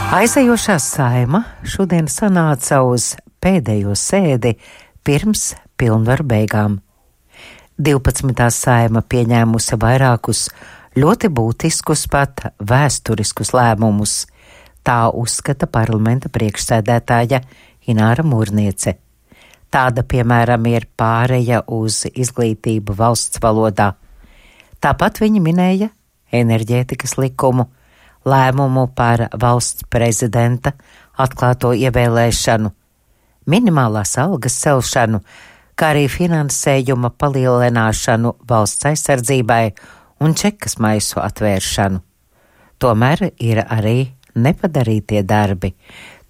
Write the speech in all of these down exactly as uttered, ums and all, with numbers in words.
Aizejošā Saeima šodien sanāca uz pēdējo sēdi pirms pilnvaru beigām. divpadsmitā Saeima pieņēmusi vairākus ļoti būtiskus, pat vēsturiskus lēmumus. Tā uzskata parlamenta priekšsēdētāja Ināra Mūrniece. Tāda, piemēram, ir pāreja uz izglītību valsts valodā. Tāpat viņa minēja enerģētikas likumu, lēmumu par valsts prezidenta atklāto ievēlēšanu, minimālās algas celšanu, kā arī finansējuma palielināšanu valsts aizsardzībai un čekas maisu atvēršanu. Tomēr ir arī nepadarītie darbi.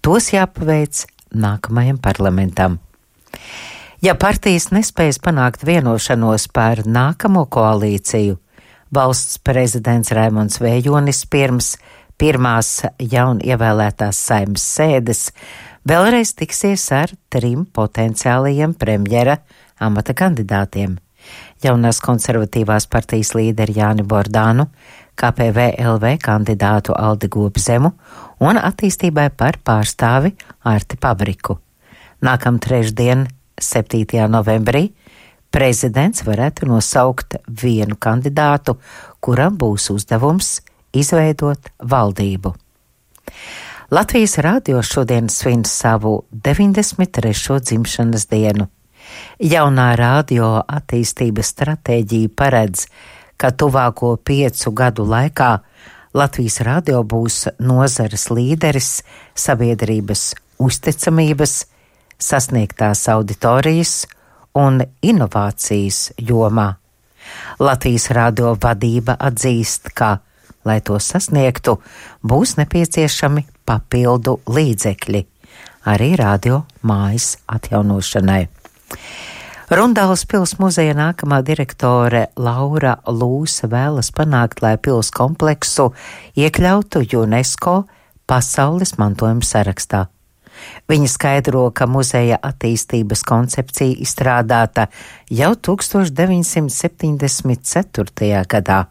Tos jāpaveic nākamajam parlamentam. Ja partijas nespējas panākt vienošanos par nākamo koalīciju, valsts prezidents Raimonds Vējonis pirms pirmās jaun ievēlētās Saeimas sēdes vēlreiz tiksies ar trim potenciālajiem premjera amata kandidātiem - jaunās konservatīvās partijas līderi Jāni Bordānu, K P V L V kandidātu Aldi Gobzemu un attīstībai par pārstāvi Arti Pabriku. Nākam trešdien, septītajā novembrī, prezidents varētu nosaukt vienu kandidātu, kuram būs uzdevums izveidot valdību. Latvijas radio šodien svin savu deviņdesmit trešo dzimšanas dienu. Jaunā radio attīstības stratēģija paredz, ka tuvāko piecu gadu laikā Latvijas radio būs nozares līderis sabiedrības uzticamības, sasniegtās auditorijas un inovācijas jomā. Latvijas radio vadība atzīst, ka, lai to sasniegtu, būs nepieciešami papildu līdzekļi, arī radio mājas atjaunošanai. Rundāles pils muzeja nākamā direktore Laura Lūsa vēlas panākt, lai pils kompleksu iekļautu UNESCO pasaules mantojuma sarakstā. Viņa skaidro, ka muzeja attīstības koncepcija izstrādāta jau tūkstoš deviņsimt septiņdesmit ceturtajā gadā,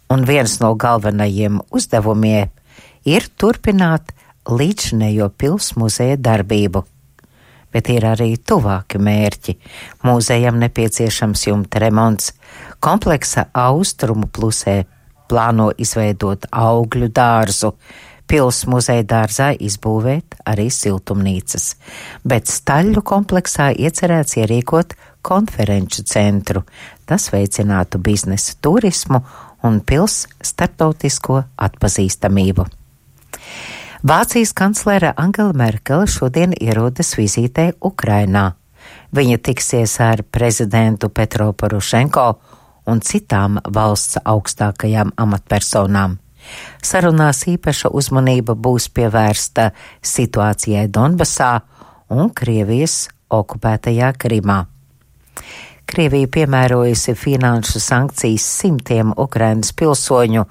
un viens no galvenajiem uzdevumiem ir turpināt līdzinējo pils muzeja darbību. Bet ir arī tuvāki mērķi. Muzejam nepieciešams jumta remonts. Kompleksa austrumu plusē plāno izveidot augļu dārzu, pils muzeja dārzā izbūvēt arī siltumnīcas, bet Staļļu kompleksā iecerēts ierīkot konferenču centru. Tas veicinātu biznesa turismu un pils starptautisko atpazīstamību. Vācijas kanclere Angela Merkele šodien ierodas vizītē Ukrainā. Viņa tiksies ar prezidentu Petro Porošenko un citām valsts augstākajām amatpersonām. Sarunās īpaša uzmanība būs pievērsta situācijai Donbasā un Krievijas okupētajā Krimā. Krievija piemērojusi finanšu sankcijas simtiem Ukrainas pilsoņu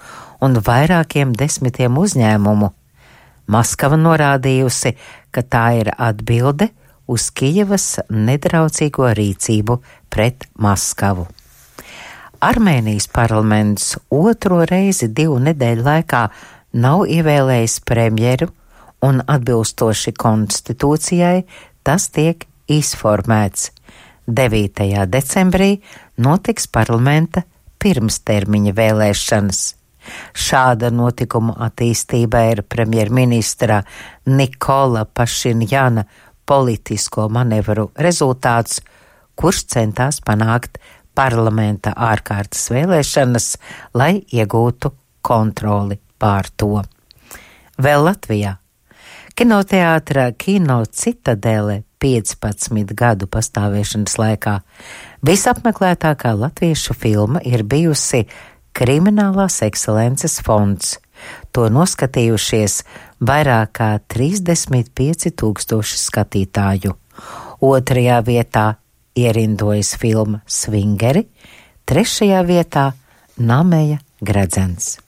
un vairākiem desmitiem uzņēmumu. Maskava norādījusi, ka tā ir atbilde uz Kijevas nedraudzīgo rīcību pret Maskavu. Armēnijas parlaments otro reizi divu nedēļu laikā nav ievēlējis premjeru un atbilstoši konstitūcijai tas tiek izformēts. devītajā decembrī notiks parlamenta pirmstermiņa vēlēšanas. Šāda notikuma attīstība ir premjerministra Nikola Pašinjana politisko manevru rezultāts, kurš centās panākt parlamenta ārkārtas vēlēšanas, lai iegūtu kontroli pār to. Vēl Latvijā. Kinoteātra Kino Citadele piecpadsmit gadu pastāvēšanas laikā visapmeklētākā latviešu filma ir bijusi Kriminālās ekscelences fonds. To noskatījušies vairāk kā trīsdesmit pieci tūkstoši skatītāju. Otrajā vietā ierindojas filma Svingeri, trešajā vietā Nameja gredzens.